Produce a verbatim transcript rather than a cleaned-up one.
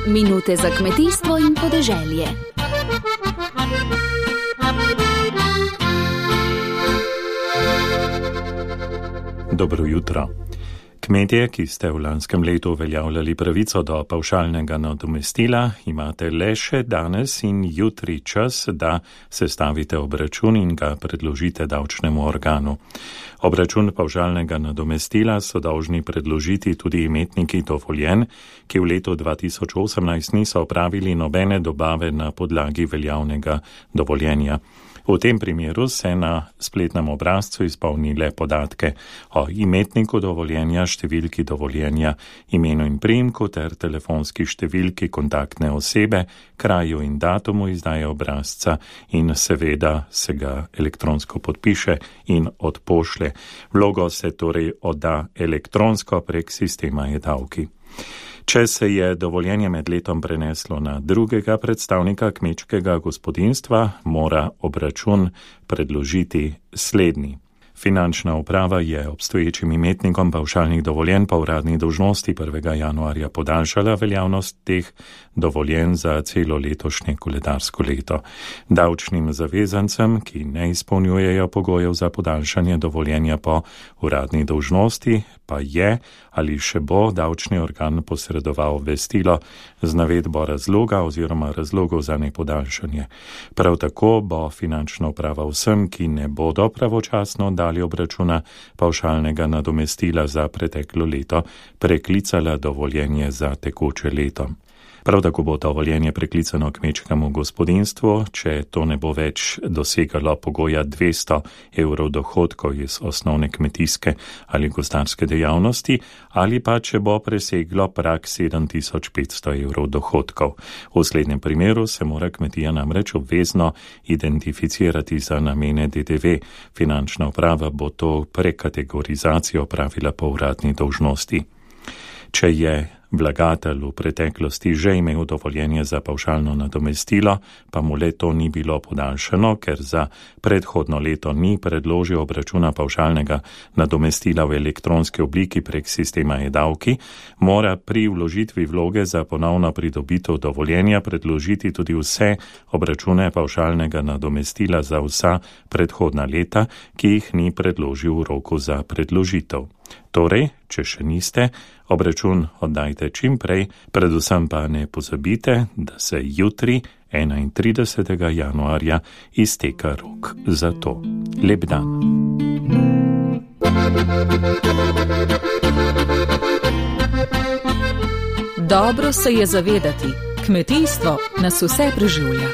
Minute za kmetijstvo in podeželje. Dobro jutro. Kmetje, ki ste v lanskem letu uveljavljali pravico do pavšalnega nadomestila, imate le še danes in jutri čas, da sestavite obračun in ga predložite davčnemu organu. Obračun pavšalnega nadomestila so dolžni predložiti tudi imetniki dovoljenj, ki v letu dva tisoč osemnajst niso opravili nobene dobave na podlagi veljavnega dovoljenja. V tem primeru se na spletnem obrazcu izpolni le podatke o imetniku dovoljenja, številki dovoljenja, imenu in priimku ter telefonski številki kontaktne osebe, kraju in datumu izdaje obrazca in seveda se ga elektronsko podpiše in odpošlje. Vlogo se torej odda elektronsko prek sistema e-davki. Če se je dovoljenje med letom preneslo na drugega predstavnika kmečkega gospodinjstva, mora obračun predložiti slednji. Finančna uprava je obstoječim imetnikom pavšalnih dovoljenj po uradni dolžnosti prvega januarja podaljšala veljavnost teh dovoljenj za celo letošnje koledarsko leto. Davčnim zavezancem, ki ne izpolnjujejo pogojev za podaljšanje dovoljenja po uradni dolžnosti, pa je ali še bo davčni organ posredoval obvestilo z navedbo razloga oziroma razlogov za nepodaljšanje. Prav tako bo finančna uprava vsem, ki ne bodo pravočasno dali obračuna pavšalnega nadomestila za preteklo leto, preklicala dovoljenje za tekoče leto. Prav tako bo dovoljenje preklicano kmečkemu gospodinjstvu, če to ne bo več dosegalo pogoja dvesto evrov dohodkov iz osnovne kmetijske ali gozdarske dejavnosti, ali pa če bo preseglo prag sedem tisoč petsto evrov dohodkov. V slednjem primeru se mora kmetija namreč obvezno identificirati za namene D D V. Finančna uprava bo to prekategorizacijo opravila po uradni dolžnosti. Če je vlagatelj v preteklosti že imel dovoljenje za pavšalno nadomestilo, pa mu le to ni bilo podaljšano, ker za predhodno leto ni predložil obračuna pavšalnega nadomestila v elektronski obliki prek sistema e-davki, mora pri vložitvi vloge za ponovno pridobitev dovoljenja predložiti tudi vse obračune pavšalnega nadomestila za vsa predhodna leta, ki jih ni predložil v roku za predložitev. Torej, če še niste, obračun oddajte čim prej, predvsem pa ne pozabite, da se jutri, enaintridesetega januarja, izteka rok za to. Lep dan. Dobro se je zavedati, kmetijstvo nas vse preživlja.